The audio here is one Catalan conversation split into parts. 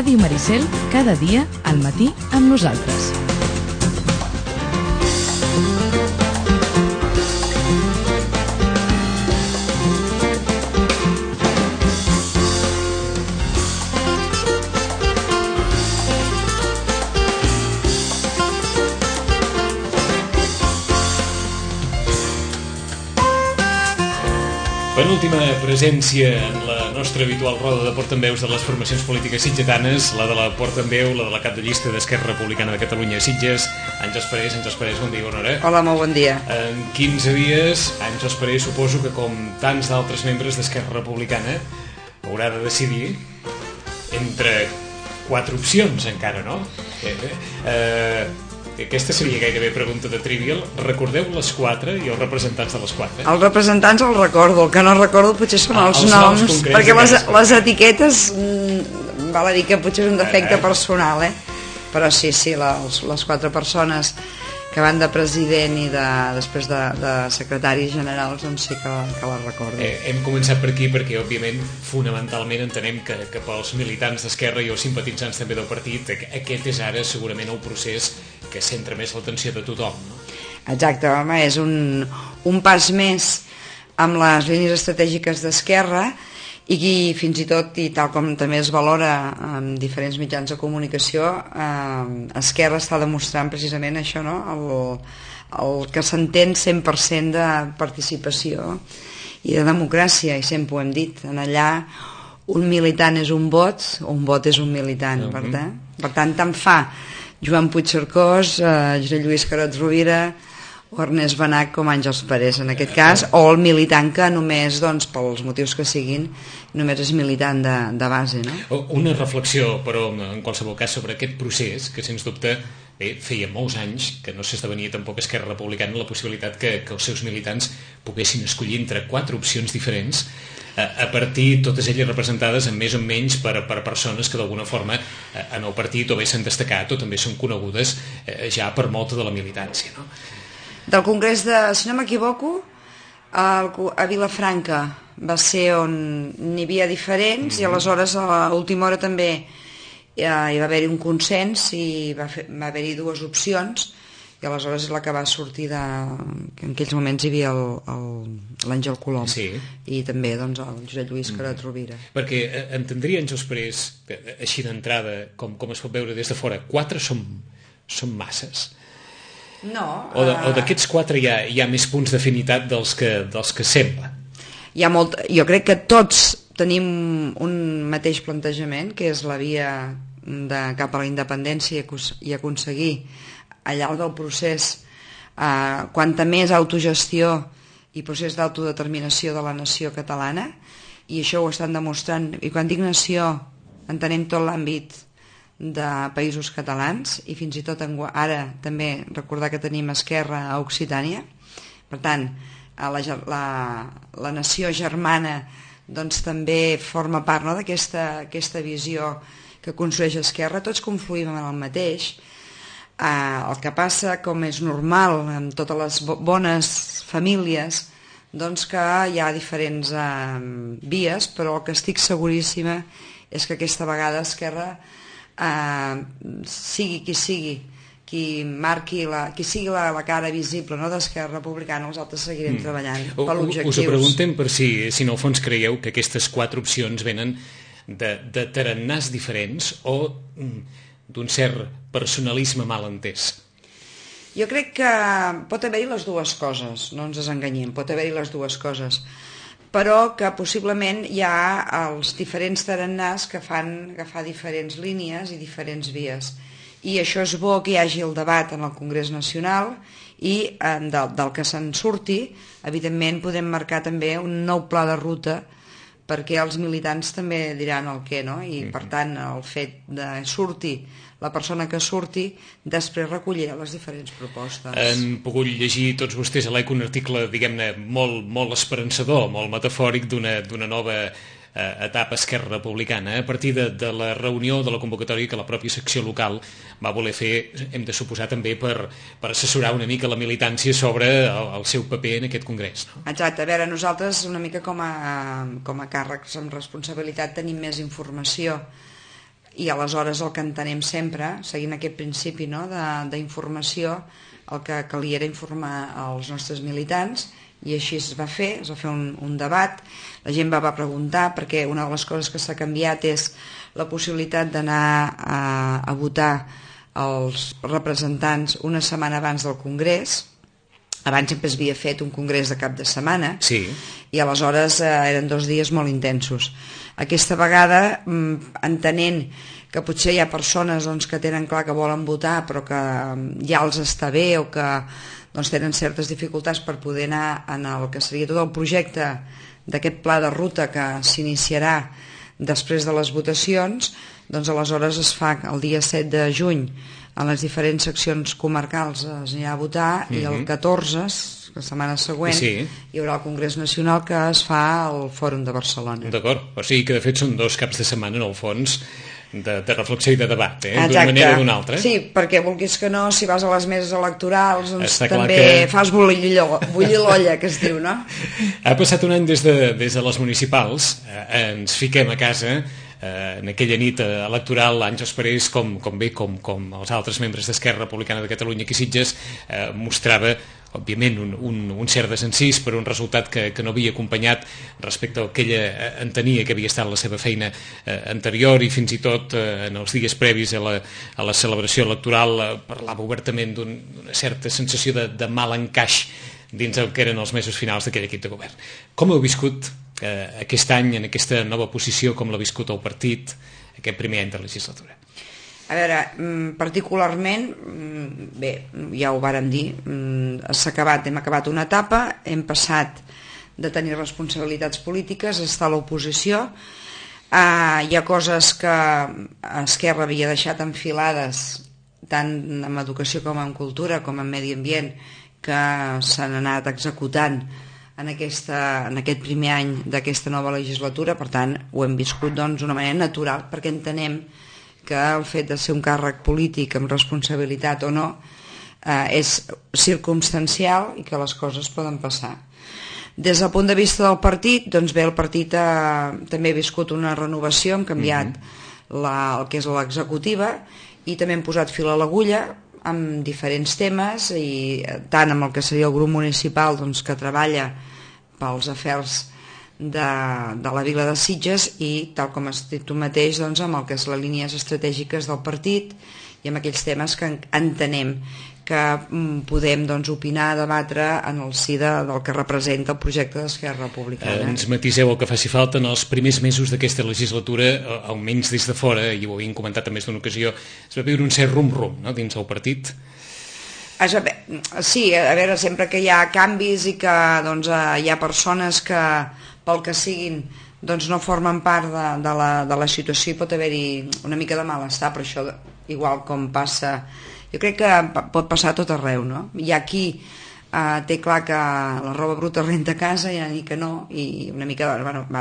Ràdio Maricel, cada dia al matí amb nosaltres. Penúltima presència en la nostra habitual roda de portaveus de les formacions polítiques sitgetanes, la de la portaveu, la de la cap de llista d'Esquerra Republicana de Catalunya a Sitges, Àngels Parés, bon dia, bona hora. Hola, molt bon dia. En 15 dies, Àngels Parés, suposo que com tants d'altres membres d'Esquerra Republicana, haurà de decidir entre 4 opcions encara, no? Aquesta seria gairebé pregunta de Trivial. Recordeu les 4 i els representants de les 4? Els representants els recordo, el que no recordo potser són els noms, perquè les etiquetes val a dir que potser és un defecte personal, però sí, les 4 persones que van de president i després de secretaris generals, doncs sí que les recordo. Hem començat per aquí perquè, òbviament, fonamentalment entenem que pels militants d'Esquerra i els simpatitzants també del partit, aquest és ara segurament el procés que centra més l'atenció de tothom, no? Exacte, home, és un pas més amb les línies estratègiques d'Esquerra i fins i tot, i tal com també es valora en diferents mitjans de comunicació, Esquerra està demostrant precisament això, no? El que s'entén 100% de participació i de democràcia, i sempre ho hem dit, en allà un militant és un vot és un militant, per tant fa Joan Puigcercós, Josep Lluís Carod Rovira o Ernest Benach com Àngels Parés en aquest cas, o el militant que només, doncs, pels motius que siguin, només és militant de base, no? Una reflexió, però, en qualsevol cas, sobre aquest procés, que sens dubte feia molts anys que no s'esdevenia tampoc Esquerra Republicana la possibilitat que els seus militants poguessin escollir entre 4 opcions diferents, a partir, totes elles representades en més o menys per persones que d'alguna forma en el partit o bé s'han destacat o també són conegudes ja per molta de la militància, no? Del congrés si no m'equivoco, a Vilafranca va ser on n'hi havia diferents i aleshores a l'última hora també hi va haver-hi un consens i va haver-hi 2 opcions i aleshores és la que va sortir que en aquells moments hi havia l'Àngel Colom, sí. I també doncs, el Josep Lluís Carod Rovira. Perquè entendria, Àngels Parés, així d'entrada, com es pot veure des de fora, 4 són masses? No. O d'aquests 4 hi ha més punts d'afinitat dels que sembla? Jo crec que tots tenim un mateix plantejament, que és la via cap a la independència i aconseguir al llarg del procés quanta més autogestió i procés d'autodeterminació de la nació catalana, i això ho estan demostrant, i quan dic nació entenem tot l'àmbit de països catalans i fins i tot ara també recordar que tenim Esquerra a Occitània, per tant la nació germana doncs també forma part, no, d'aquesta visió que construeix Esquerra. Tots confluïm en el mateix. El que passa, com és normal en totes les bones famílies, doncs que hi ha diferents vies, però el que estic seguríssima és que aquesta vegada Esquerra, sigui qui sigui, qui sigui la cara visible, no, d'Esquerra Republicana, els altres seguirem treballant per l'objectiu. Us ho preguntem per si en el fons creieu que aquestes 4 opcions venen de tarannàs diferents o d'un cert personalisme mal entès. Jo crec que pot haver-hi les dues coses, no ens desenganyem, pot haver-hi les dues coses, però que possiblement hi ha els diferents tarannàs que fan agafar diferents línies i diferents vies. I això és bo que hi hagi el debat en el Congrés Nacional i del que se'n surti, evidentment podem marcar també un nou pla de ruta perquè els militants també diran el què, no? I per tant el fet de sortir la persona que surti després recollirà les diferents propostes. Han pogut llegir tots vostès a l'ECO un article, diguem-ne, molt esperançador, molt metafòric d'una nova etapa Esquerra Republicana, a partir de la reunió, de la convocatòria que la pròpia secció local va voler fer, hem de suposar també per assessorar una mica la militància sobre el seu paper en aquest congrés, no? Exacte, a veure, nosaltres una mica com a càrrecs amb responsabilitat tenim més informació i aleshores el que entenem sempre, seguint aquest principi, no, d'informació, el que calia era informar els nostres militants, i així es va fer un debat, la gent va preguntar, perquè una de les coses que s'ha canviat és la possibilitat d'anar a votar els representants una setmana abans del Congrés. Abans sempre es havia fet un congrés de cap de setmana, sí, i aleshores eren 2 dies molt intensos. Aquesta vegada, entenent que potser hi ha persones que tenen clar que volen votar però que ja els està bé o que tenen certes dificultats per poder anar en el que seria tot el projecte d'aquest pla de ruta que s'iniciarà després de les votacions, doncs aleshores es fa el dia 7 de juny en les diferents seccions comarcals es anirà a votar i el 14, la setmana següent, hi haurà el Congrés Nacional que es fa al Fòrum de Barcelona. D'acord, o sigui que de fet són 2 caps de setmana en el fons de reflexió i de debat, d'una manera o d'una altra. Sí, perquè vulguis que no, si vas a les meses electorals doncs també fas bullir l'olla, que es diu, no? Ha passat un any des de les municipals, ens fiquem a casa en aquella nit electoral, anys després, com els altres membres d'Esquerra Republicana de Catalunya aquí a Sitges, mostrava òbviament un cert desencís per un resultat que no havia acompanyat respecte al que ella entenia que havia estat la seva feina anterior, i fins i tot en els dies previs a la celebració electoral parlava obertament d'una certa sensació de mal encaix dins el que eren els mesos finals d'aquell equip de govern. Com heu viscut aquest any en aquesta nova posició, com l'ha viscut el partit aquest primer any de legislatura? A veure, particularment, bé, ja ho vàrem dir, hem acabat una etapa, hem passat de tenir responsabilitats polítiques a estar a l'oposició. Hi ha coses que Esquerra havia deixat enfilades, tant en educació com en cultura, com en medi ambient, que s'han anat executant en aquest primer any d'aquesta nova legislatura. Per tant, ho hem viscut d'una manera natural, perquè entenem que el fet de ser un càrrec polític amb responsabilitat o no és circumstancial i que les coses poden passar. Des del punt de vista del partit, doncs bé, el partit també ha viscut una renovació, hem canviat el que és l'executiva i també hem posat fil a l'agulla amb diferents temes, i tant amb el que seria el grup municipal que treballa pels afers de la vila de Sitges, i tal com has dit tu mateix, amb el que és les línies estratègiques del partit i amb aquells temes que entenem que podem opinar, debatre en el si del que representa el projecte d'Esquerra Republicana. Ens matiseu el que faci falta. En els primers mesos d'aquesta legislatura, almenys des de fora, i ho havíem comentat en més d'una ocasió, es va viure un cert rum-rum, no?, dins el partit. Sí, a veure, sempre que hi ha canvis i que hi ha persones que, pel que siguin, no formen part de la situació, i pot haver-hi una mica de malestar, però això, igual com passa, jo crec que pot passar a tot arreu, no? Hi ha qui té clar que la roba bruta renta a casa, i ni que no, i una mica,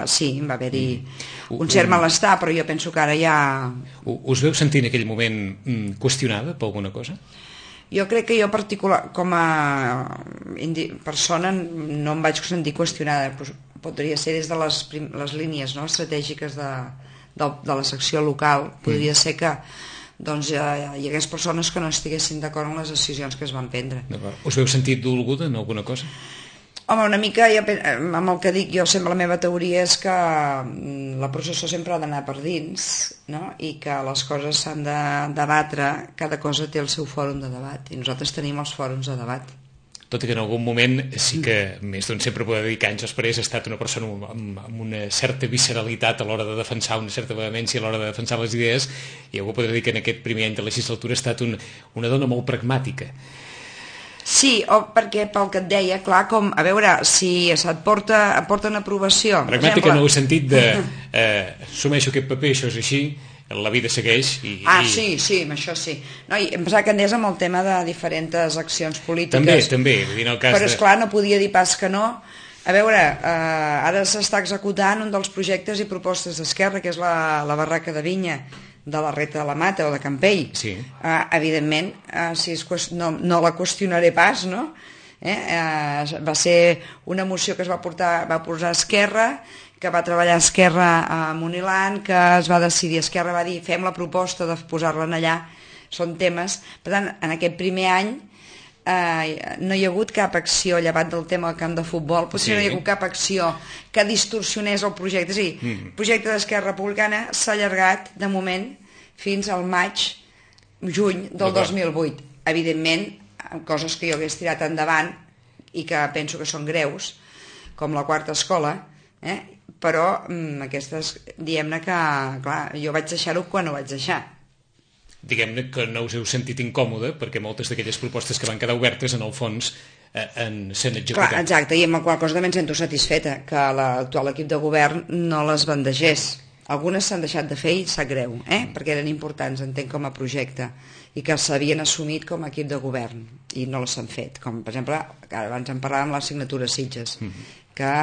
sí, va haver-hi un cert malestar, però jo penso que ara ja... Us veu sentir en aquell moment qüestionada per alguna cosa? Jo crec que jo particular, com a persona, no em vaig sentir qüestionada. Podria ser des de les línies estratègiques de la secció local, podria ser que hi hagués persones que no estiguessin d'acord amb les decisions que es van prendre. Us veu sentit dolguda en alguna cosa? Home, una mica, amb el que dic jo, sempre la meva teoria és que la processó sempre ha d'anar per dins, no? I que les coses s'han de debatre, cada cosa té el seu fòrum de debat, i nosaltres tenim els fòrums de debat. Tot i que en algun moment sí que més d'un sempre podrà dir que anys després ha estat una persona amb una certa visceralitat a l'hora de defensar, una certa vehemència a l'hora de defensar les idees, i algú podrà dir que en aquest primer any de legislatura ha estat una dona molt pragmàtica. Sí, perquè pel que et deia, clar, com, a veure, si et porten aprovació... Pragmàtica en el sentit de assumeixo aquest paper, això és així, la vida segueix i... Sí, això sí. No, i em pensava que anés amb el tema de diferents accions polítiques. També, en el cas però esclar, no podia dir pas que no. A veure, ara s'està executant un dels projectes i propostes d'Esquerra, que és la barraca de vinya de la Reta de la Mata o de Campell. Sí. Evidentment, no la qüestionaré pas, no? Va ser una moció que va posar Esquerra, que va treballar Esquerra a Munilant, que es va decidir, Esquerra va dir fem la proposta de posar-la allà, són temes. Per tant, en aquest primer any no hi ha hagut cap acció llevat del tema del camp de futbol, potser no hi ha hagut cap acció que distorsionés el projecte. És a dir, el projecte d'Esquerra Republicana s'ha allargat de moment fins al juny del 2008. Evidentment, coses que jo hagués tirat endavant i que penso que són greus, com la quarta escola, però aquestes, diguem-ne que, clar, jo vaig deixar-ho quan ho vaig deixar. Diguem-ne que no us heu sentit incòmode perquè moltes d'aquelles propostes que van quedar obertes en el fons s'han executat. Clar, exacte, i amb la qual cosa també em sento satisfeta que l'actual equip de govern no les bandegés. Algunes s'han deixat de fer i sap greu, perquè eren importants, entenc, com a projecte, i que s'havien assumit com a equip de govern i no les s'han fet, com per exemple, abans en parlàvem de l'assignatura Sitges, que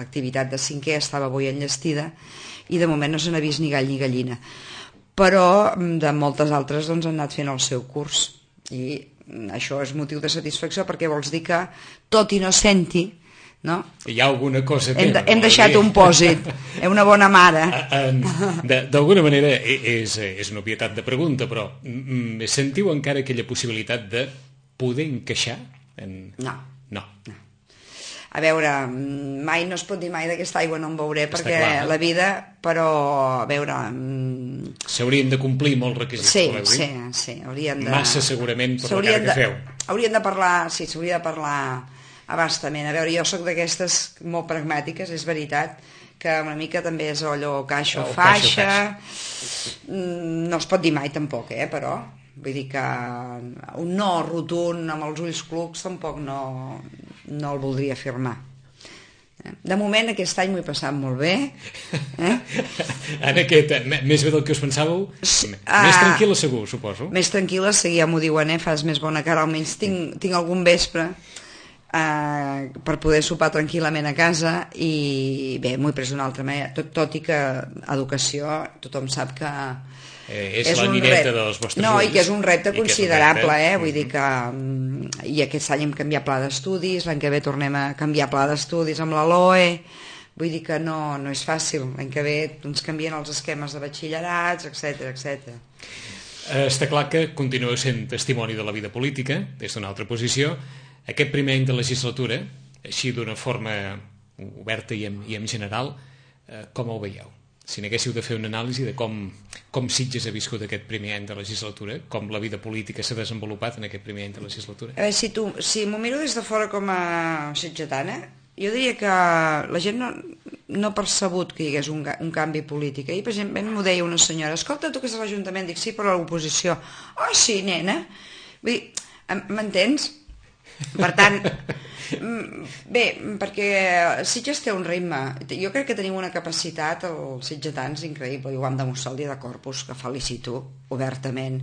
l'activitat de 5è estava avui enllestida i de moment no se n'ha vist ni gall ni gallina, però de moltes altres doncs, han anat fent el seu curs, i això és motiu de satisfacció perquè vols dir que tot i no senti, no? Hi ha alguna cosa hem deixat un pòsit, una bona mare. D'alguna manera és una obvietat de pregunta, però sentiu encara aquella possibilitat de poder encaixar? No. No. A veure, mai no es pot dir mai d'aquesta aigua no en beuré, perquè la vida, però, a veure... S'haurien de complir molts requisits, sí, haurien de... Massa, segurament, per la cara que feu. Haurien de parlar, sí, s'hauria de parlar abastament. A veure, jo sóc d'aquestes molt pragmàtiques, és veritat, que una mica també és allò caixa o faixa. No es pot dir mai tampoc, però... Vull dir que un no rotund amb els ulls clucs tampoc no el voldria afirmar. De moment aquest any m'ho he passat molt bé. En aquest, més bé del que us pensàveu? Més tranquil·la segur, suposo. Més tranquil·la, sí, ja m'ho diuen, fas més bona cara, almenys tinc algun vespre per poder sopar tranquil·lament a casa, i bé, m'ho he pres d'una altra manera, tot i que educació tothom sap que és la nineta dels vostres ulls. No, i que és un repte considerable, vull dir que i aquest any hem canviat pla d'estudis, l'any que ve tornem a canviar pla d'estudis amb la LOE, vull dir que no és fàcil, l'any que ve ens canvien els esquemes de batxillerats, etc. Està clar que continueu sent testimoni de la vida política des d'una altra posició. Aquest primer any de legislatura, així d'una forma oberta i en general, com ho veieu? Si n'haguéssiu de fer una anàlisi de com Sitges ha viscut aquest primer any de legislatura, com la vida política s'ha desenvolupat en aquest primer any de legislatura. A veure, si m'ho miro des de fora com a sitgetana, jo diria que la gent no ha percebut que hi hagués un canvi polític. Ahir, per exemple, m'ho deia una senyora, escolta, tu que és a l'Ajuntament, dic, sí, però a l'oposició. Oh, sí, nena. Vull dir, m'entens? Per tant, bé, perquè Sitges té un ritme. Jo crec que tenim una capacitat, els sitgetans, increïble, i ho vam demostrar el dia de Corpus, que felicito obertament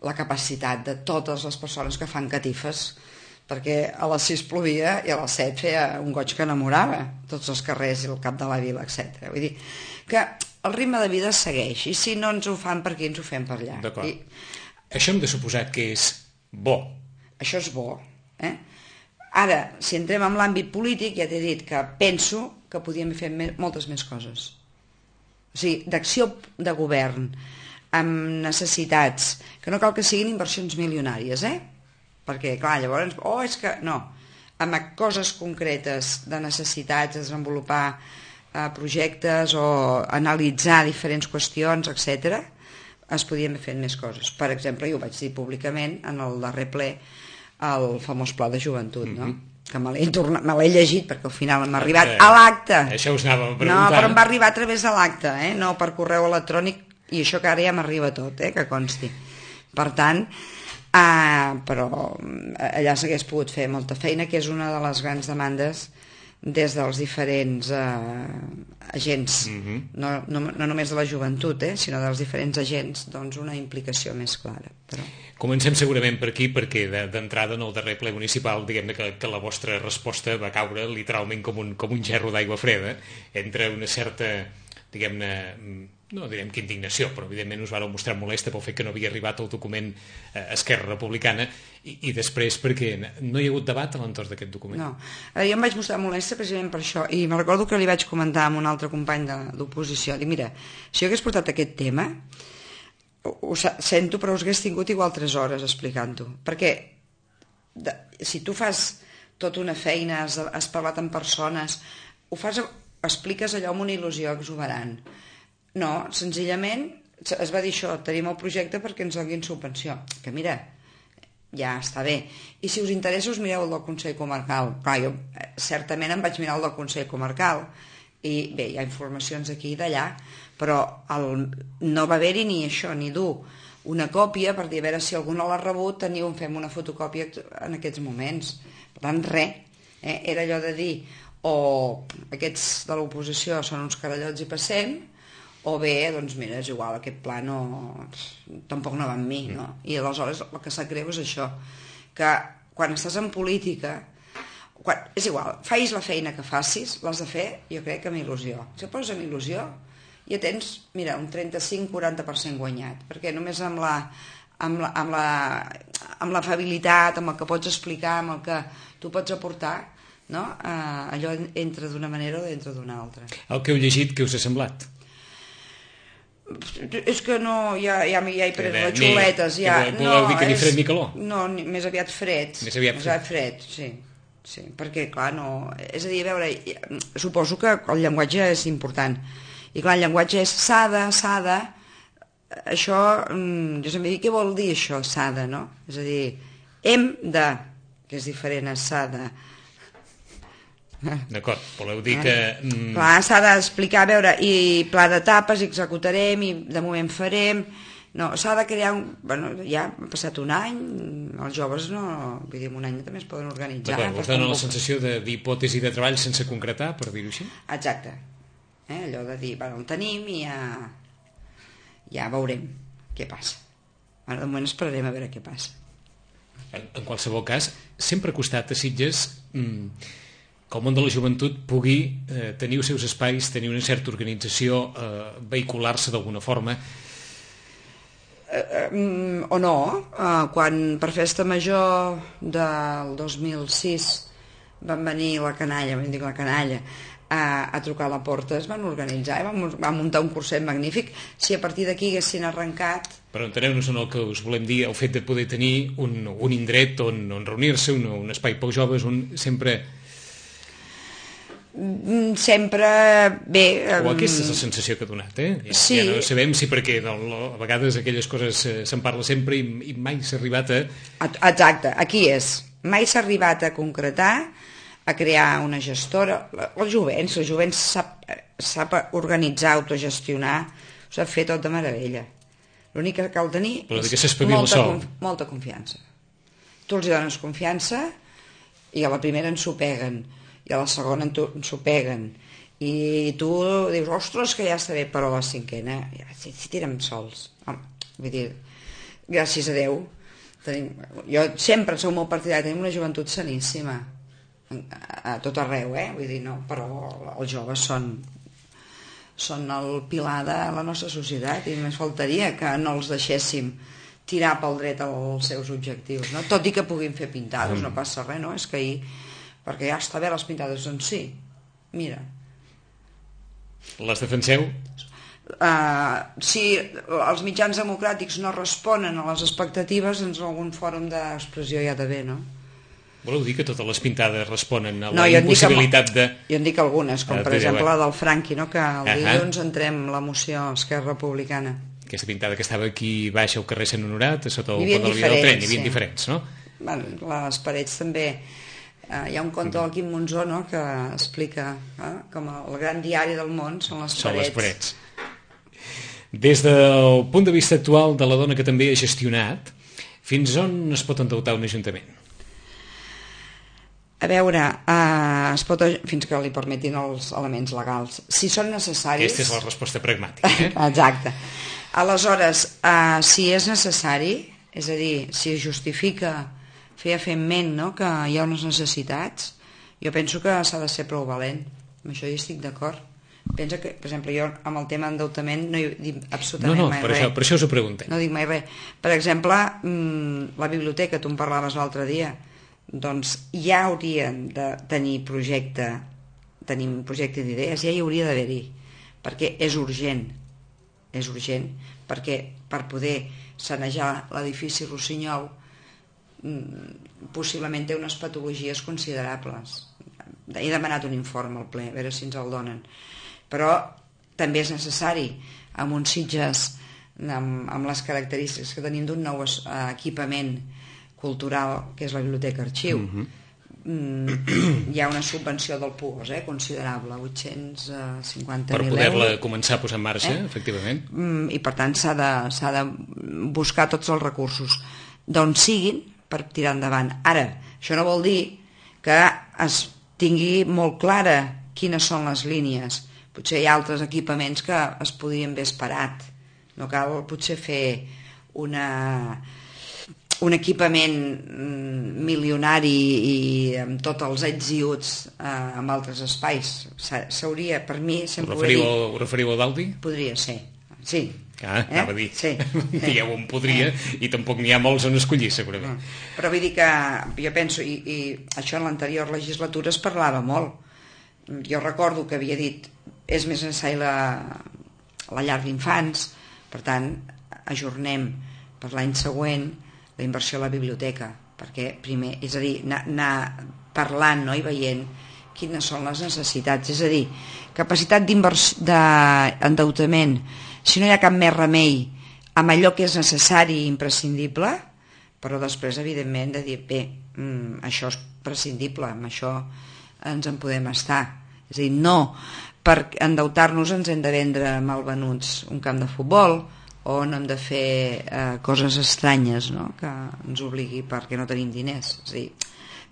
la capacitat de totes les persones que fan catifes, perquè a les 6 plovia i a les 7 feia un goig que enamorava tots els carrers i el cap de la vila, etc. Vull dir que el ritme de vida segueix, i si no ens ho fan per aquí, ens ho fem per allà. D'acord. Això hem de suposar que és bo. Això és bo. Ara, si entrem en l'àmbit polític, ja t'he dit que penso que podíem fer moltes més coses. O sigui, d'acció de govern, amb necessitats, que no cal que siguin inversions milionàries, perquè, clar, llavors, és que no, amb coses concretes de necessitats, de desenvolupar projectes o analitzar diferents qüestions, etc., es podien fer més coses. Per exemple, jo ho vaig dir públicament en el darrer ple, el famós pla de joventut, no? Que me l'he llegit perquè al final m'ha arribat a l'acte. Això us anàvem preguntant. No, però em va arribar a través de l'acte, no per correu electrònic, i això que ara ja m'arriba tot, que consti. Per tant, però allà s'hagués pogut fer molta feina, que és una de les grans demandes des dels diferents agents, no només de la joventut, sinó dels diferents agents, doncs una implicació més clara. Però... Comencem segurament per aquí, perquè d'entrada en el darrer ple municipal, diguem-ne que la vostra resposta va caure literalment com un gerro d'aigua freda, entre una certa, diguem-ne, no direm que indignació, però evidentment us vareu mostrar molesta pel fet que no havia arribat el document Esquerra Republicana i després perquè no hi ha hagut debat a l'entorn d'aquest document. No, jo em vaig mostrar molesta precisament per això i me recordo que li vaig comentar amb un altre company d'oposició, dic, mira, si jo hagués portat aquest tema, ho sento, però us hagués tingut igual 3 hores explicant-ho, perquè si tu fas tota una feina, has parlat amb persones, expliques allò amb una il·lusió exuberant. No, senzillament es va dir això, tenim el projecte perquè ens donin subvenció, que mira, ja està bé, i si us interessa us mireu el del Consell Comarcal. Clar, jo certament em vaig mirar el del Consell Comarcal i bé, hi ha informacions aquí i d'allà, però no va haver-hi ni això, ni dur una còpia per dir a veure si algú no l'ha rebut, fem una fotocòpia en aquests moments. Per tant, res, era allò de dir o aquests de l'oposició són uns carallots i passem, o bé, doncs mira, és igual, aquest pla tampoc no va amb mi, no? I aleshores el que sap greu és això, que quan estàs en política, és igual, facis la feina que facis, l'has de fer, jo crec que amb il·lusió. Si et poses amb il·lusió, ja tens, mira, un 35-40% guanyat, perquè només amb l'afabilitat, amb el que pots explicar, amb el que tu pots aportar, no? Allò entra d'una manera o entra d'una altra. El que heu llegit, què us ha semblat? És que no, ja he pres les xuletes. Voleu dir que ni fred ni calor? No, més aviat fred. Més aviat fred, sí, perquè clar, no... És a dir, a veure, suposo que el llenguatge és important. I clar, el llenguatge és s'ha de... Això, jo sempre dic, què vol dir això, s'ha de, no? És a dir, hem de, que és diferent a s'ha de... D'acord, voleu dir que... Clar, s'ha d'explicar, a veure, i pla d'etapes, executarem, i de moment farem... No, s'ha de crear Bueno, ja ha passat un any, els joves no... Vull dir, en un any també es poden organitzar. D'acord, us dona la sensació d'hipòtesi de treball sense concretar, per dir-ho així? Exacte. Allò de dir, bueno, el tenim i ja veurem què passa. Ara, de moment esperarem a veure què passa. En qualsevol cas, sempre ha costat a Sitges... que el món de la joventut pugui tenir els seus espais, tenir una certa organització, vehicular-se d'alguna forma. O no, quan per Festa Major del 2006 van venir la canalla, a trucar a la porta, es van organitzar, van muntar un curset magnífic. Si a partir d'aquí haguessin arrencat... Però enteneu-nos en el que us volem dir, el fet de poder tenir un indret on reunir-se, un espai pels joves, sempre bé... O aquesta és la sensació que ha donat, Sí. Ja no sabem si perquè a vegades aquelles coses se'n parla sempre i mai s'ha arribat a... Exacte, aquí és. Mai s'ha arribat a concretar, a crear una gestora. El jovent sap organitzar, autogestionar, ho sap fer tot de meravella. L'únic que cal tenir molta confiança. Tu els dones confiança i a la primera ensopeguen, i a la segona ensopeguen, i tu dius, ostres, que ja està bé, però a la cinquena ja si tirem sols. Vull dir, gràcies a Déu, jo sempre soc molt partidari, tenim una joventut saníssima a tot arreu, vull dir, no, però els joves són el pilar de la nostra societat i només faltaria que no els deixéssim tirar pel dret als seus objectius, no? Tot i que puguin fer pintades, no passa res, no? És que ahir, perquè ja està bé les pintades, doncs sí, mira. Les defenseu? Si els mitjans democràtics no responen a les expectatives, doncs algun fòrum d'expressió hi ha d'haver, no? Voleu dir que totes les pintades responen a la impossibilitat de... Jo en dic algunes, com per exemple la del Franqui, no? Que el dilluns entrem la moció Esquerra Republicana. Aquesta pintada que estava aquí baix al carrer Sant Honorat, sota el pont de la via del tren, hi havia diferents, no? Les parets també... Hi ha un conte del Quim Monzó, no?, que explica com el gran diari del món són les parets. Des del punt de vista actual de la dona que també ha gestionat, fins on es pot endeutar un ajuntament? A veure, fins que li permetin els elements legals. Si són necessaris... Aquesta és la resposta pragmàtica. Exacte. Aleshores, si és necessari, és a dir, si es justifica fefaentment, no?, que hi ha unes necessitats, jo penso que s'ha de ser prou valent. Amb això hi estic d'acord. Pensa que, per exemple, jo amb el tema endeutament no hi dic absolutament mai res. Per això us ho preguntem. No dic mai res. Per exemple, la biblioteca, tu em parlaves l'altre dia, doncs ja haurien de tenir tenim projecte d'idees, ja hi hauria d'haver-hi, perquè és urgent, perquè per poder sanejar l'edifici Rossinyol possiblement té unes patologies considerables. He demanat un informe al ple, a veure si ens el donen, però també és necessari amb uns Sitges amb les característiques que tenim d'un nou equipament cultural que és la Biblioteca Arxiu. Hi ha una subvenció del PUOS considerable, 850.000 euros per poder-la començar a posar en marxa, efectivament, i per tant s'ha de buscar tots els recursos d'on siguin per tirar endavant. Ara, això no vol dir que es tingui molt clara quines són les línies. Potser hi ha altres equipaments que es podrien haver esperat. No cal potser fer un equipament milionari i amb tots els ets i uts en altres espais. S'hauria, per mi, sempre Ho referiu a Daldi? Podria ser, sí. Anava a dir, sí. Digueu on podria, i tampoc n'hi ha molts on escollir, segurament. Però vull dir que jo penso, i això en l'anterior legislatura es parlava molt. Jo recordo que havia dit és més necessari la llar d'infants, per tant ajornem per l'any següent la inversió a la biblioteca, perquè primer, és a dir, anar parlant, no?, i veient quines són les necessitats, és a dir, capacitat d'endeutament, si no hi ha cap més remei amb allò que és necessari i imprescindible, però després evidentment de dir, bé, això és prescindible, amb això ens en podem estar, és a dir, no per endeutar-nos ens hem de vendre malvenuts un camp de futbol o no hem de fer coses estranyes, no?, que ens obligui perquè no tenim diners. És a dir,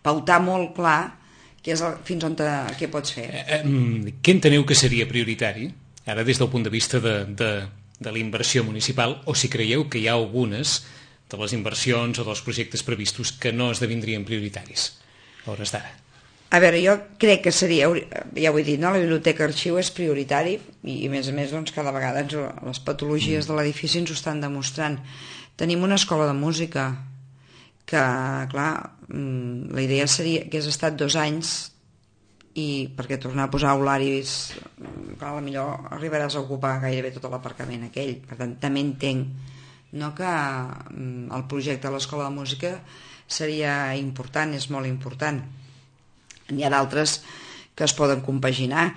pautar molt clar fins on què pots fer. Què enteneu que seria prioritari, ara des del punt de vista de la inversió municipal, o si creieu que hi ha algunes de les inversions o dels projectes previstos que no esdevindrien prioritaris a hores d'ara? A veure, jo crec que seria, ja ho he dit, no? La Biblioteca Arxiu és prioritari i a més doncs, cada vegada les patologies de l'edifici ens ho estan demostrant. Tenim una escola de música que, clar, la idea seria que hagués estat 2 anys i perquè tornar a posar aularis, clar, potser arribaràs a ocupar gairebé tot l'aparcament aquell. Per tant, també entenc, no, que el projecte de l'escola de música seria important, és molt important. N'hi ha d'altres que es poden compaginar,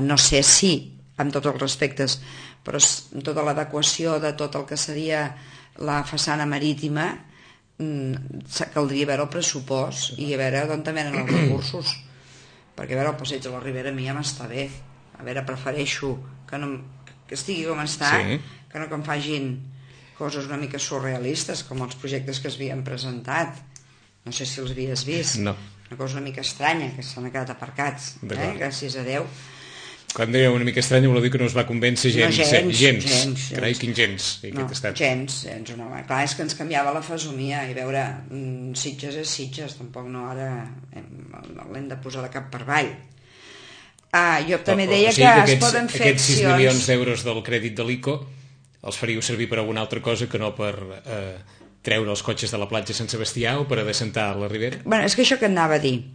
no sé si amb tots els respectes, però amb tota l'adequació de tot el que seria la façana marítima caldria veure el pressupost i a veure d'on venen els recursos, perquè a veure el passeig de la Ribera a mi ja m'està bé, a veure, prefereixo que estigui com està, sí, que no que em fagin coses una mica surrealistes com els projectes que es havien presentat. No sé si els havies vist. No. Una cosa una mica estranya, que s'han quedat aparcats, gràcies a Déu. Quan deia una mica estranya vol dir que no es va convèncer gens. No, gens. Carai, quin gens. No, gens. No. Clar, és que ens canviava la fesomia i veure, Sitges és Sitges, tampoc no ara l'hem de posar de cap per avall. Jo també deia que es poden fer aquests 6 milions d'euros del crèdit de l'ICO els faríeu servir per alguna altra cosa que no per treure els cotxes de la platja Sant Sebastià o per adreçar a la Ribera? Bueno, és que això que anava a dir.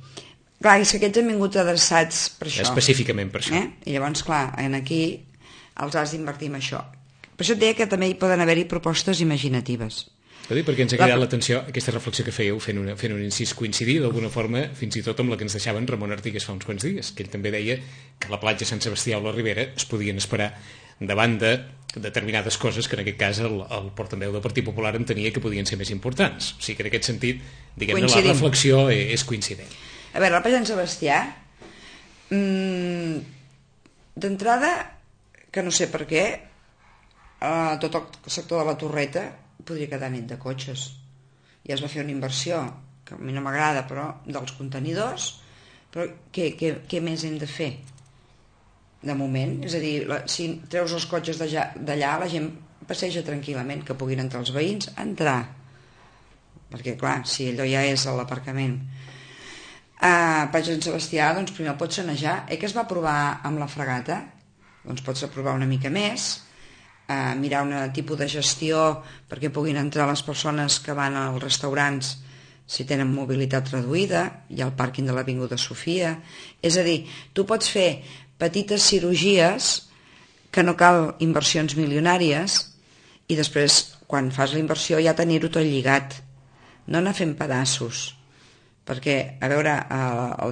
Clar, és que aquests han vingut adreçats per això. Específicament per això. I llavors, clar, aquí els has d'invertir en això. Per això et deia que també hi poden haver-hi propostes imaginatives. Perquè ens ha cridat l'atenció aquesta reflexió que fèieu fent un incís coincidir d'alguna forma fins i tot amb la que ens deixaven Ramon Artigues fa uns quants dies, que ell també deia que la platja Sant Sebastià o la Ribera es podien esperar davant de determinades coses que en aquest cas el portaveu del Partit Popular entenia que podien ser més importants. O sigui que en aquest sentit, diguem-ne, la reflexió és coincident. A veure, la platja Sant Sebastià, d'entrada, que no sé per què, tot el sector de la Torreta podria quedar net de cotxes. Ja es va fer una inversió, que a mi no m'agrada, però dels contenidors, però què més hem de fer? De moment, és a dir, si treus els cotxes d'allà, la gent passeja tranquil·lament, que puguin entrar els veïns, entrar, perquè clar, si allò ja és a l'aparcament. Per Sant Sebastià, doncs primer el pots sanejar. Que es va provar amb la fregata, doncs pots provar una mica més, mirar un tipus de gestió perquè puguin entrar les persones que van als restaurants si tenen mobilitat reduïda. Hi ha el pàrquing de l'Avinguda Sofia. És a dir, tu pots fer petites cirurgies que no cal inversions milionàries i després, quan fas la inversió, ja tenir-ho tot lligat. No anar fent pedaços. Perquè, a veure,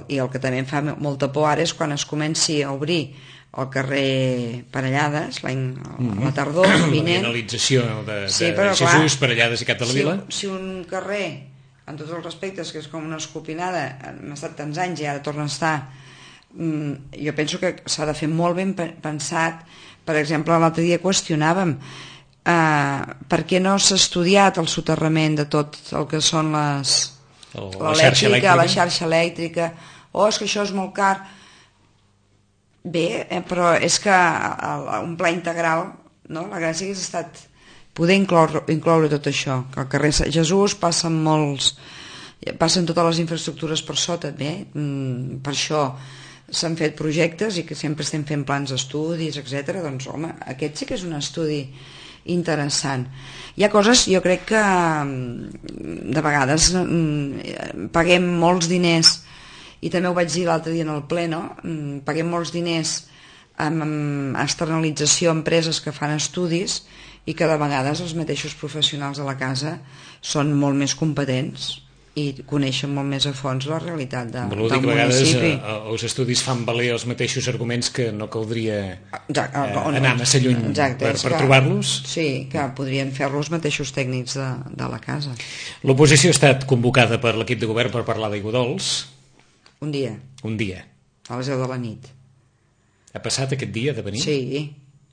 i el que també em fa molta por ara és quan es comenci a obrir el carrer Parellades, la tardor vinent. La finalització de Jesús, Parellades i Cap de la Vila. Si un carrer, en tots els respectes, que és com una escopinada, hem estat tants anys i ara torna a estar, jo penso que s'ha de fer molt ben pensat. Per exemple, l'altre dia qüestionàvem per què no s'ha estudiat el soterrament de tot el que són la xarxa elèctrica. És que això és molt car. Bé, però és que un pla integral, no? La gràcia hagués estat poder incloure tot això, que al carrer Jesús passen totes les infraestructures per sota. Bé, per això s'han fet projectes i que sempre estem fent plans d'estudis, etc. Doncs home, aquest sí que és un estudi interessant. Hi ha coses, jo crec que de vegades paguem molts diners, i també ho vaig dir l'altre dia en el ple, no? Paguem molts diners amb externalització a empreses que fan estudis i que de vegades els mateixos professionals de la casa són molt més competents i coneixen molt més a fons la realitat del municipi. Els estudis fan valer els mateixos arguments que no caldria anar massa lluny per trobar-los. Sí, que podrien fer els mateixos tècnics de la casa. L'oposició ha estat convocada per l'equip de govern per parlar d'Aigua Dols. Un dia. A les 10 de la nit. Ha passat aquest dia de venir? Sí.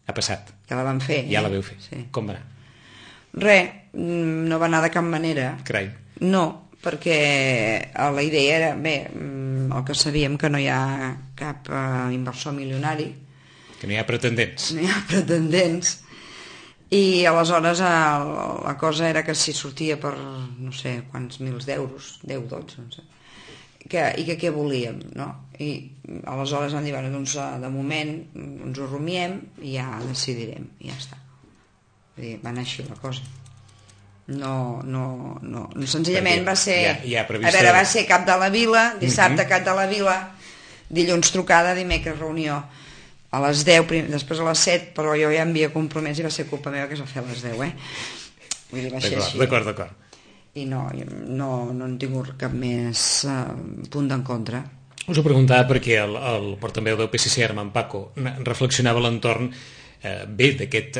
Ha passat? Ja la vam fer. Ja la veu fer. Sí. Com va anar? No va anar de cap manera. Carai. No, perquè la idea era, el que sabíem, que no hi ha cap inversor milionari. Que no hi ha pretendents. No hi ha pretendents. I aleshores la cosa era que si sortia per no sé quants mils d'euros, 10, 12, no sé, i que què volíem, no? I aleshores vam dir, doncs de moment ens ho rumiem i ja decidirem, i ja està. Vull dir, va anar així la cosa. No, senzillament va ser, va ser cap de la vila, dissabte cap de la vila, dilluns trucada, dimecres reunió a les 10, després a les 7, però jo ja em havia compromès i va ser culpa meva que es va fer a les 10, Vull dir, va ser així. D'acord. I no han tingut cap més punt d'en contra. Us ho preguntava perquè el portaveu del PSC, Armand Paco, reflexionava a l'entorn d'aquest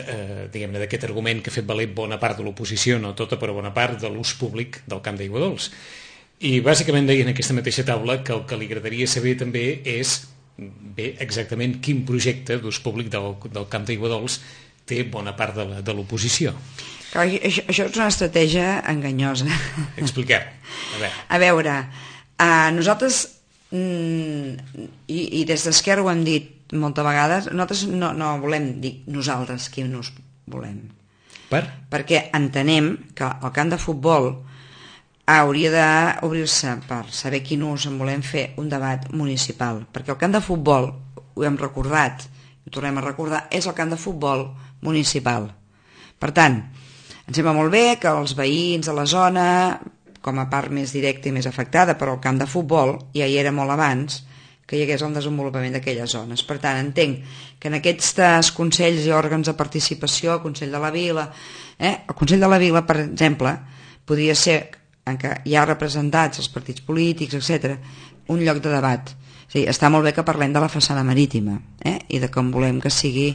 argument que ha fet valer bona part de l'oposició, no tota, però bona part de l'ús públic del Camp d'Aigua Dols. I bàsicament deia en aquesta mateixa taula que el que li agradaria saber també és exactament quin projecte d'ús públic del Camp d'Aigua Dols té bona part de l'oposició. Això és una estratègia enganyosa. Expliqueu. A veure, nosaltres, i des d'Esquerra ho hem dit moltes vegades, nosaltres no volem dir nosaltres qui nos volem. Perquè entenem que el camp de futbol hauria d'obrir-se per saber quin ús en volem fer un debat municipal, perquè el camp de futbol, ho hem recordat, ho tornem a recordar, és el camp de futbol municipal. Per tant, em sembla molt bé que els veïns de la zona, com a part més directa i més afectada per al camp de futbol, ja hi era molt abans, que hi hagués el desenvolupament d'aquelles zones. Per tant, entenc que en aquests consells i òrgans de participació, el Consell de la Vila, el Consell de la Vila, per exemple, podria ser, en què hi ha representats els partits polítics, etc., un lloc de debat. O sigui, està molt bé que parlem de la façana marítima i de com volem que sigui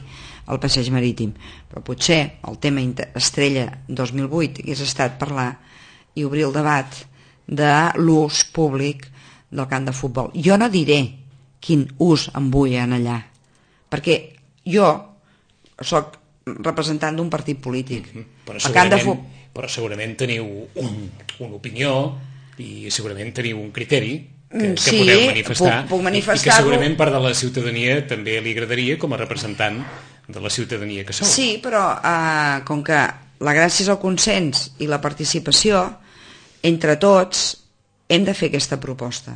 el passeig marítim, però potser el tema estrella 2008 hagués estat parlar i obrir el debat de l'ús públic del camp de futbol. Jo no diré quin ús en vull allà, perquè jo soc representant d'un partit polític. Però segurament teniu una opinió i segurament teniu un criteri que podeu manifestar, puc i que segurament part de la ciutadania també li agradaria com a representant de la ciutadania que sou. Sí, però com que la gràcia és el consens i la participació, entre tots hem de fer aquesta proposta.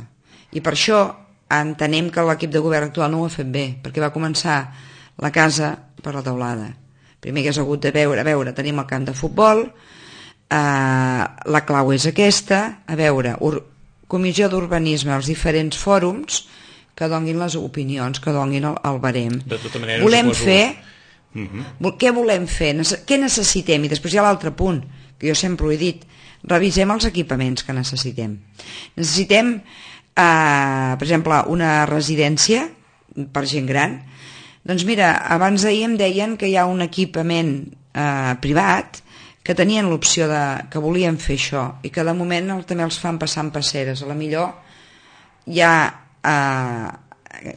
I per això entenem que l'equip de govern actual no ho ha fet bé, perquè va començar la casa per la teulada. Primer que has hagut de veure, tenim el camp de futbol, la clau és aquesta, a veure, comissió d'urbanisme, els diferents fòrums que donguin les opinions, que donguin el barem. De tota manera, volem suposo... fer... Què volem fer? Què necessitem? I després hi ha l'altre punt, que jo sempre ho he dit, revisem els equipaments que necessitem. Necessitem, per exemple, una residència per gent gran. Doncs mira, abans d'ahir em deien que hi ha un equipament privat que tenien l'opció que volien fer això i que de moment també els fan passar en passeres. A la millor ja,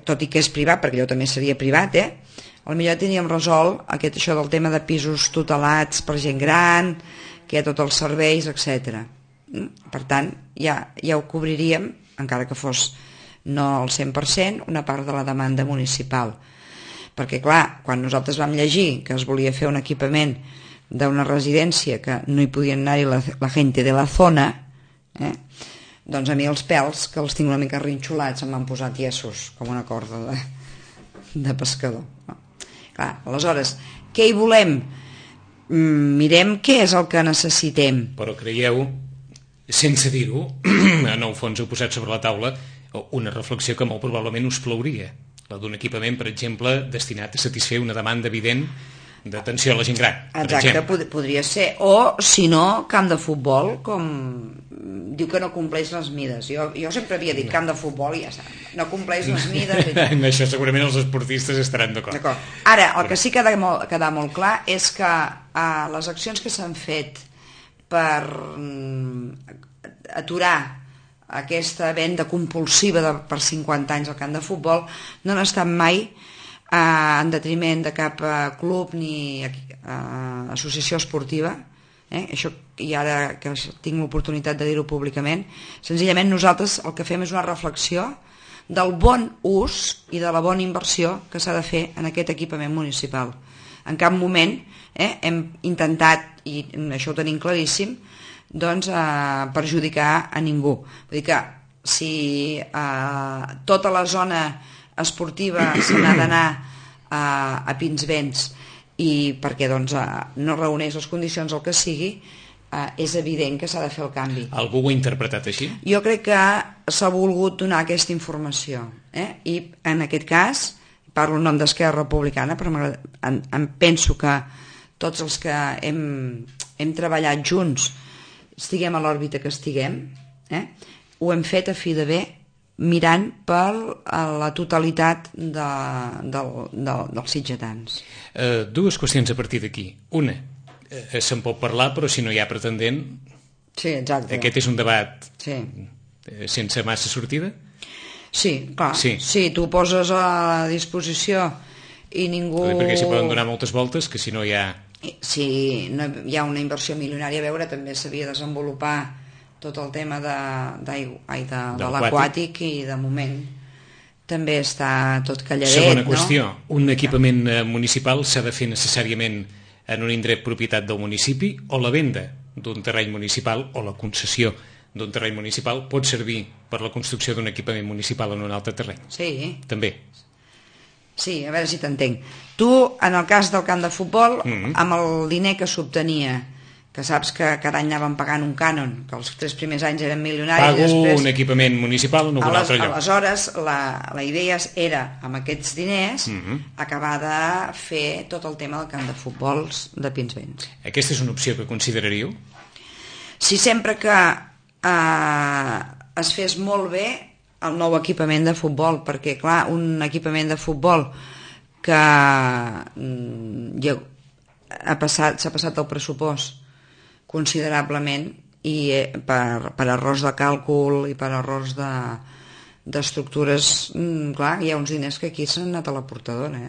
tot i que és privat, perquè allò també seria privat, a la millor teníem resolt això del tema de pisos tutelats per gent gran, que hi ha tots els serveis, etc. Per tant, ja ho cobriríem, encara que fos no al 100%, una part de la demanda municipal. Perquè, clar, quan nosaltres vam llegir que es volia fer un equipament d'una residència que no hi podien anar-hi la gent de la zona, doncs a mi els pèls, que els tinc una mica rinxolats, em van posar tiesos, com una corda de pescador. Clar, aleshores, què hi volem? Mirem què és el que necessitem. Però creieu, sense dir-ho, en el fons heu posat sobre la taula una reflexió que molt probablement us plauria, la d'un equipament, per exemple, destinat a satisfer una demanda evident d'atenció a la gent gran. Exacte, podria ser. O, si no, camp de futbol, com diu que no compleix les mides. Jo sempre havia dit camp de futbol i ja està. No compleix les mides. En això segurament els esportistes estaran d'acord. Ara, el que sí que ha de quedar molt clar és que les accions que s'han fet per aturar aquesta venda compulsiva per 50 anys al camp de futbol no han estat mai en detriment de cap club ni associació esportiva, això, i ara que tinc l'oportunitat de dir-ho públicament, senzillament nosaltres el que fem és una reflexió del bon ús i de la bona inversió que s'ha de fer en aquest equipament municipal. En cap moment hem intentat, i això ho tenim claríssim, doncs perjudicar a ningú. Vull dir que si tota la zona esportiva se n'ha d'anar a Pinsbens i perquè doncs, no reuneix les condicions el que sigui, és evident que s'ha de fer el canvi. Algú ho ha interpretat així? Jo crec que s'ha volgut donar aquesta informació, i en aquest cas parlo en nom d'Esquerra Republicana, però em penso que tots els que hem treballat junts, estiguem a l'òrbita que estiguem, ho hem fet a fi de bé, mirant per la totalitat dels sitgetans. Dues qüestions a partir d'aquí. Una, se'n pot parlar, però si no hi ha pretendent... Sí, exacte. Aquest és un debat sense massa sortida? Sí, clar. Sí, tu ho poses a disposició i ningú... Perquè s'hi poden donar moltes voltes, que si no hi ha... Si no hi ha una inversió milionària, a veure, també s'havia de desenvolupar tot el tema de l'aquàtic i de moment també està tot calladet. Segona qüestió, un equipament municipal s'ha de fer necessàriament en un indret propietat del municipi o la venda d'un terreny municipal o la concessió d'un terreny municipal pot servir per la construcció d'un equipament municipal en un altre terreny? Sí. També? Sí, a veure si t'entenc. Tu, en el cas del camp de futbol, amb el diner que s'obtenia, que saps que cada any anàvem pagant un cànon, que els 3 primers anys eren milionaris... Pago després, un equipament municipal en un altre lloc. Aleshores, la idea era, amb aquests diners, acabar de fer tot el tema del camp de futbol de Pinsbens. Aquesta és una opció que consideraríeu? Si sempre que es fes molt bé el nou equipament de futbol, perquè, clar, un equipament de futbol que s'ha passat el pressupost considerablement i per errors de càlcul i per errors d'estructures, clar, hi ha uns diners que aquí s'han anat a la portadora.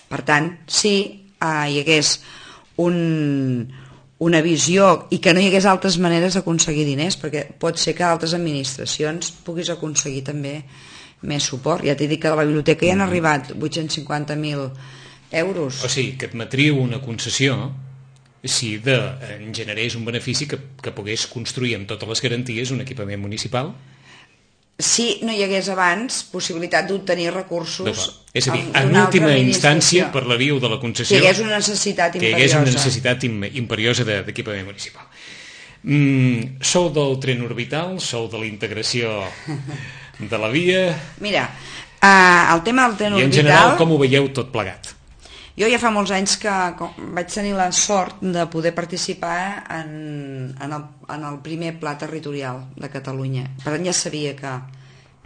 Per tant, si hi hagués una visió i que no hi hagués altres maneres d'aconseguir diners, perquè pot ser que altres administracions puguis aconseguir també més suport. Ja t'he dit que de la biblioteca hi han arribat 850.000 euros. O sigui, que admetríeu una concessió si en generés un benefici que pogués construir amb totes les garanties un equipament municipal? si no hi hagués abans possibilitat d'obtenir recursos. És a dir, en última instància, per la via de la concessió, que hi hagués una necessitat imperiosa. Que hi hagués una necessitat imperiosa d'equipament municipal. Sou del tren orbital, sou de la integració de la via... Mira, el tema del tren orbital... I en general, com ho veieu tot plegat? Jo ja fa molts anys que vaig tenir la sort de poder participar en el primer pla territorial de Catalunya. Per tant, ja sabia que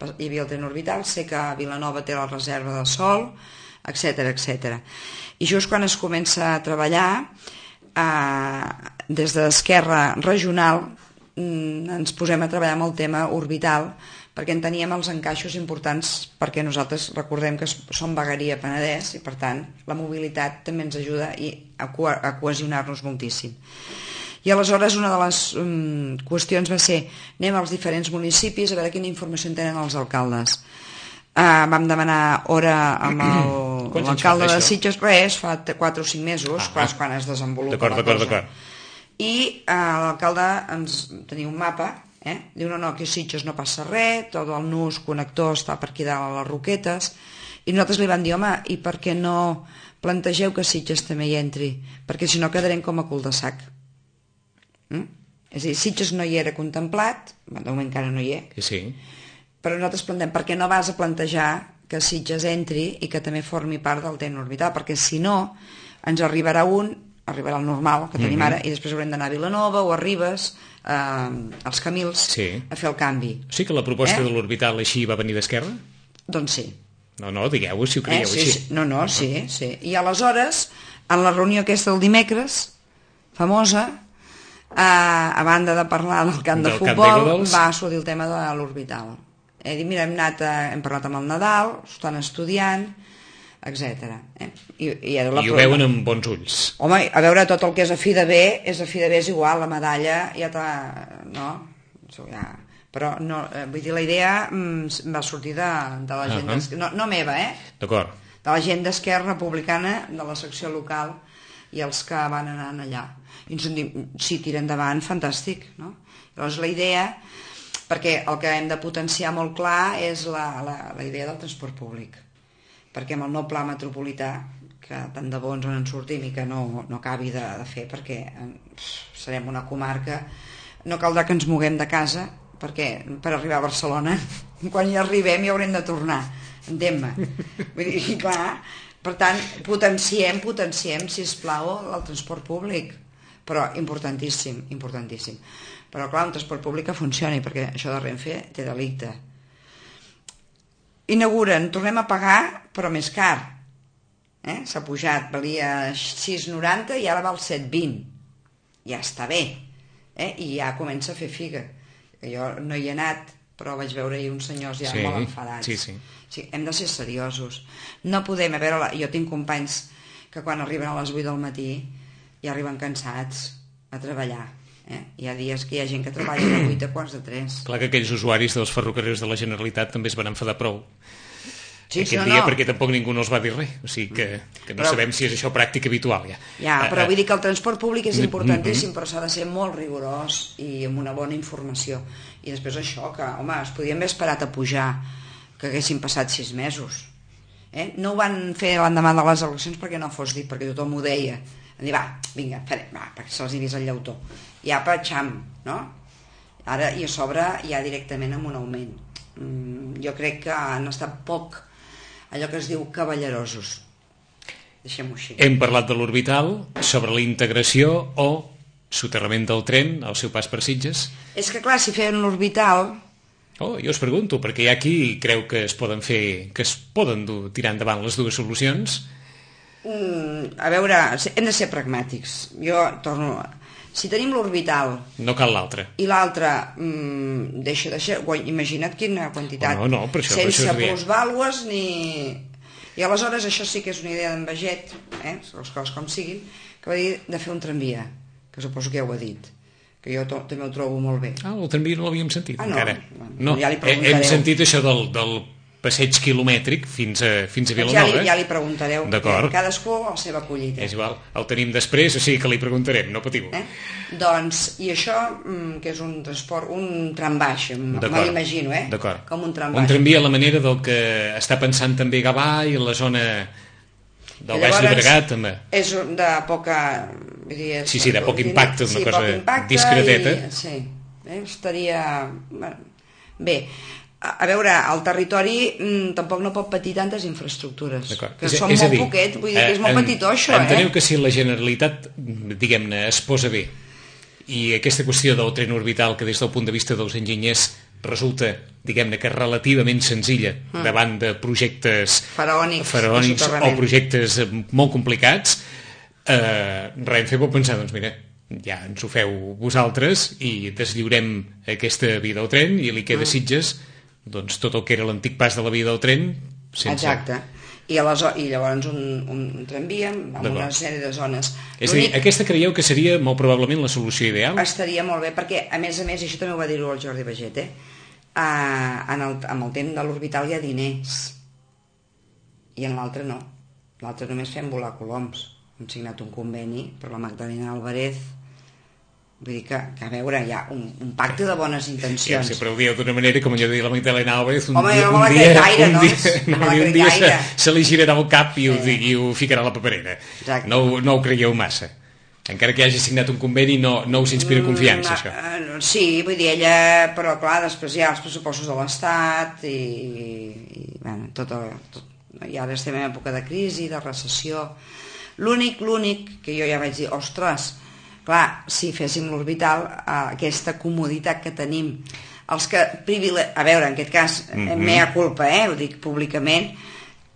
hi havia el tren orbital, sé que Vilanova té la reserva de sol, etc. I just quan es comença a treballar, des d'Esquerra Regional ens posem a treballar amb el tema orbital, perquè en teníem els encaixos importants, perquè nosaltres recordem que som vegueria Penedès i per tant la mobilitat també ens ajuda a cohesionar-nos moltíssim. I aleshores una de les qüestions va ser anem als diferents municipis a veure quina informació en tenen els alcaldes. Vam demanar hora amb l'alcalde de Sitges, fa 4 o 5 mesos, quan es desenvolupa la cosa. I l'alcalde ens tenia un mapa. Diu, no, aquí a Sitges no passa res, tot el nus connector està per aquí dalt a les Roquetes, i nosaltres li vam dir, home, i per què no plantegeu que Sitges també hi entri? Perquè si no quedarem com a cul de sac. És a dir, Sitges no hi era contemplat, de moment encara no hi és, però nosaltres plantem, per què no vas a plantejar que Sitges entri i que també formi part del tren orbital? Perquè si no, ens arribarà el normal que tenim ara, i després haurem d'anar a Vilanova o a Ribes, als Camils, a fer el canvi. Sí que la proposta de l'orbital així va venir d'Esquerra? Doncs sí. No, digueu-ho si ho creieu així. Sí. I aleshores, en la reunió aquesta del dimecres, famosa, a banda de parlar del camp de futbol, va sortir el tema de l'orbital. He dit, mira, hem parlat amb el Nadal, ho estan estudiant, etc. I ho veuen amb bons ulls. Home, a veure, tot el que és a fi de bé és igual, la medalla ja t'ha... Però no, vull dir, la idea va sortir de la gent no meva, d'acord, de la gent d'Esquerra Republicana, de la secció local, i els que van anar allà. I ens diuen, si tira endavant, fantàstic, no? Llavors la idea, perquè el que hem de potenciar molt clar és la idea del transport públic, perquè amb el nou pla metropolità, que tant de bo ens en sortim i que no acabi de fer, perquè serem una comarca, no caldrà que ens moguem de casa, perquè per arribar a Barcelona, quan hi arribem hi haurem de tornar, entén-me. Vull dir, clar, per tant, potenciem, sisplau, el transport públic, però importantíssim. Però clar, un transport públic que funcioni, perquè això de Renfe té delicte. Inauguren, tornem a pagar, però més car. S'ha pujat, valia 6,90 i ara val 7,20. Ja està bé. I ja comença a fer figa. Jo no hi he anat, però vaig veure ahir uns senyors ja molt enfadats. Sí, hem de ser seriosos. No podem, a veure, jo tinc companys que quan arriben a les 8 del matí ja arriben cansats a treballar. Hi ha dies que hi ha gent que treballa de 8 a quarts de 3. Clar que aquells usuaris dels ferrocarrils de la Generalitat també es van enfadar prou aquest dia, perquè tampoc ningú no els va dir res, o sigui que no sabem si és això pràctica habitual però vull dir que el transport públic és importantíssim, però s'ha de ser molt rigorós i amb una bona informació. I després això, que home, es podien haver esperat a pujar, que haguessin passat 6 mesos. No ho van fer l'endemà de les eleccions perquè no fos dit, perquè tothom ho deia. Van dir, vinga, perquè se'ls hi vist el llautó. Ja patxam, no? Ara, i a sobre, ja directament amb un augment. Jo crec que han estat poc, allò que es diu cavallerosos. Deixem-ho així. Hem parlat de l'orbital, sobre la integració o soterrament del tren al seu pas per Sitges. És que clar, si feien l'orbital... Jo us pregunto, perquè hi ha qui creu que es poden tirar endavant les dues solucions. A veure, hem de ser pragmàtics. Jo torno... Si tenim l'orbital... No cal l'altre. I l'altre deixa... Imagina't quina quantitat. No, per això, sense plusvàlues ni... I aleshores això sí que és una idea d'en Baget, les coses com siguin, que va dir de fer un tramvia, que suposo que ja ho ha dit, que jo també ho trobo molt bé. El tramvia no l'havíem sentit encara. No, ja li preguntareu. Hem sentit això del passeig quilomètric fins a Vilanova. Ja li preguntareu, cadascú a la seva collita. És igual, el tenim després, o sigui que li preguntarem, no patiu. Doncs, i això, que és un transport, un trambaix, me l'imagino, com un trambaix. Un tramvia a la manera del que està pensant també Gavà i la zona del Baix Llobregat, també. És de poca... Sí, de poc impacte, una cosa discreteta. Sí, estaria... Bé, a veure, el territori tampoc no pot patir tantes infraestructures, que són molt poquet, vull dir que és molt petitó això. Enteneu que si la Generalitat, diguem-ne, es posa bé, i aquesta qüestió del tren orbital, que des del punt de vista dels enginyers resulta, diguem-ne, que relativament senzilla davant de projectes faraònics o projectes molt complicats, Renfe pot pensar, doncs mira, ja ens ho feu vosaltres i deslliurem aquesta via del tren i li queda a Sitges doncs tot el que era l'antic pas de la via del tren sense... Exacte. I llavors un tramvia amb una sèrie de zones. És a dir, aquesta creieu que seria molt probablement la solució ideal? Estaria molt bé, perquè a més, això també ho va dir-ho el Jordi Baget, amb el temps de l'orbital hi ha diners i en l'altre no. L'altre només fem volar coloms. Hem signat un conveni per la Magdalena Álvarez. Vull dir que a veure, hi ha un pacte de bones intencions. Ja, sempre ho dieu d'una manera, com allò de la Magdalena Álvarez, un dia se li girarà el cap i ho ficarà a la paperera. No ho creieu massa. Encara que hagi signat un conveni, no us inspira confiança, això. Sí, vull dir, ella, però clar, després hi ha els pressupostos de l'Estat i bueno, i ara estem en època de crisi, de recessió. L'únic que jo ja vaig dir, ostres, clar, si féssim l'orbital, aquesta comoditat que tenim, els que a veure, en aquest cas, mea culpa, ho dic públicament,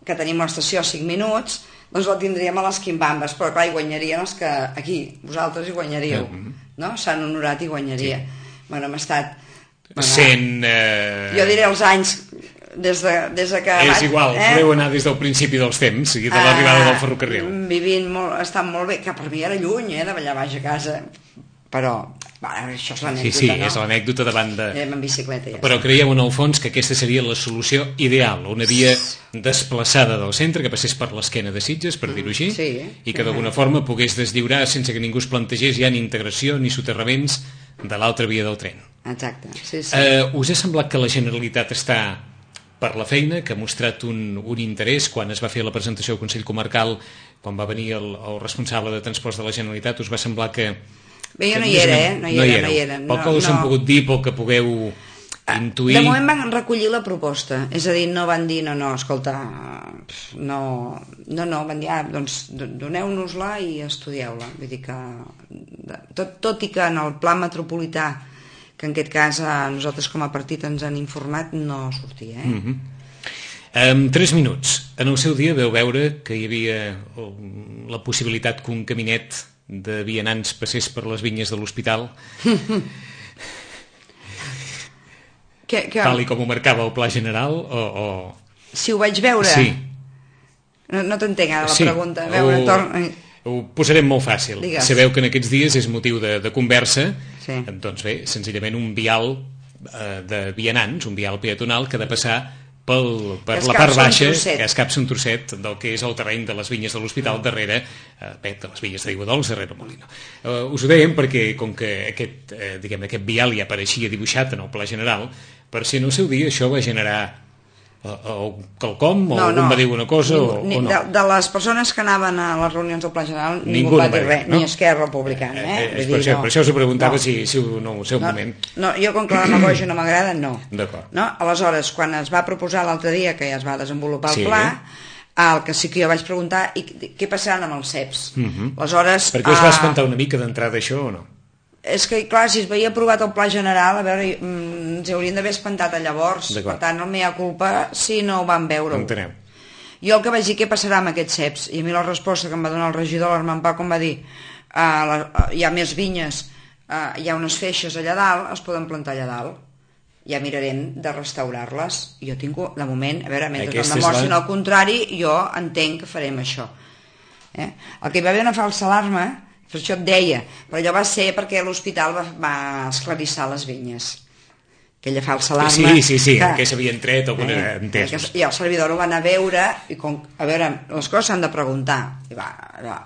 que tenim l'estació a 5 minuts, doncs la tindríem a les quimbambes, però clar, hi guanyarien els que aquí, vosaltres hi guanyaríeu, no? Sant Honorat hi guanyaria. Bueno, hem estat... Jo diré els anys... Des que és igual, podeu anar des del principi dels temps i de l'arribada del ferrocarril estan molt bé, que per mi era lluny de ballar baix a casa, però això és l'anècdota, sí, és l'anècdota davant de... en bicicleta, però creieu en el fons que aquesta seria la solució ideal, una via desplaçada del centre que passés per l'esquena de Sitges, per dir-ho així, i que d'alguna forma pogués deslliurar sense que ningú es plantegés ja ni integració ni soterraments de l'altra via del tren. Exacte, sí. Us ha semblat que la Generalitat està per la feina, que ha mostrat un interès quan es va fer la presentació al Consell Comarcal, quan va venir el responsable de transports de la Generalitat, us va semblar que... Bé, jo no hi era, no hi era. Pel que us han pogut dir, pel que pugueu intuir... De moment van recollir la proposta, és a dir, no van dir, no, escolta, no, van dir, doncs doneu-nos-la i estudieu-la. Vull dir que, tot i que en el pla metropolità, que en aquest cas nosaltres com a partit ens han informat, no sortia. En 3 minuts, en el seu dia veu veure que hi havia la possibilitat que un caminet de vianants passés per les vinyes de l'hospital, tal com ho marcava el Pla General, o... Si ho vaig veure? Sí. No t'entenc ara la pregunta. Ho posarem molt fàcil. Digues. Sabeu que en aquests dies és motiu de conversa, doncs bé, senzillament un vial de vianants, un vial peatonal que ha de passar per la part baixa, que escapça un trosset del que és el terreny de les vinyes de l'hospital darrere, de les vinyes d'Aigua Dols darrere Molino. Us ho dèiem perquè com que aquest vial ja apareixia dibuixat en el Pla General, per si en el seu dia això va generar quelcom, o algú va dir una cosa o no. De les persones que anaven a les reunions del Pla General ningú va dir res, ni Esquerra Republicana. Per això us ho preguntava si no ho sé un moment. No, jo com que la demagògia no m'agrada, no. D'acord. Aleshores, quan es va proposar l'altre dia, que ja es va desenvolupar el pla, el que sí que jo vaig preguntar, i què passaran amb els CEPs? Aleshores... Per què us va espantar una mica d'entrada això o no? És que, clar, si es veia aprovat el Pla General, a veure, ens haurien d'haver espantat a llavors. Per tant, no m'hi ha culpa si no ho van veure. Entenem. Jo el que vaig dir, què passarà amb aquests CEPs? I a mi la resposta que em va donar el regidor, l'Armand Pau, com va dir, hi ha més vinyes, hi ha unes feixes allà dalt, es poden plantar allà dalt. Ja mirarem de restaurar-les. Jo tinc, de moment, a veure, mentre no demostrin el contrari, jo entenc que farem això. El que hi va haver una falsa alarma, per això et deia, però allò va ser perquè l'hospital va esclarissar les vinyes aquella falsa alarma. Sí, que s'havien tret alguna entès. I el servidor ho va anar a veure, i a veure, les coses s'han de preguntar. I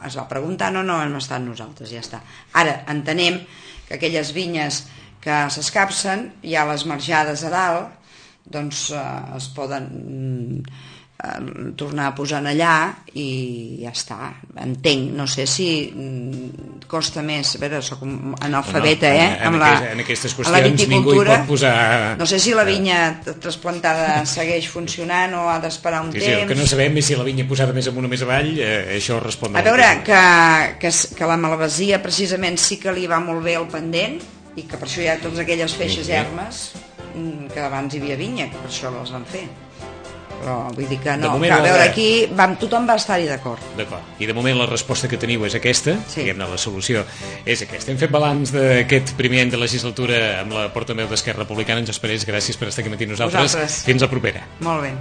es va preguntar, no hem estat nosaltres, ja està. Ara, entenem que aquelles vinyes que s'escapcen, hi ha les marjades a dalt, doncs es poden tornar a posar allà i ja està. Entenc, no sé si costa més, a veure, soc analfabeta, en aquestes qüestions ningú hi pot posar... No sé si la vinya trasplantada segueix funcionant o ha d'esperar un temps. El que no sabem és si la vinya posada més amunt o més avall, això respon... A veure, que la malvasia precisament sí que li va molt bé el pendent i que per això hi ha totes aquelles feixes ermes que abans hi havia vinya, que per això les van fer. Però vull dir que no, que a veure, aquí tothom va estar-hi d'acord. I de moment la resposta que teniu és aquesta, diguem-ne, la solució és aquesta. Hem fet balanç d'aquest primer any de legislatura amb la portaveu d'Esquerra Republicana, Àngels Parés, gràcies per estar aquí matí nosaltres. Fins la propera. Molt bé.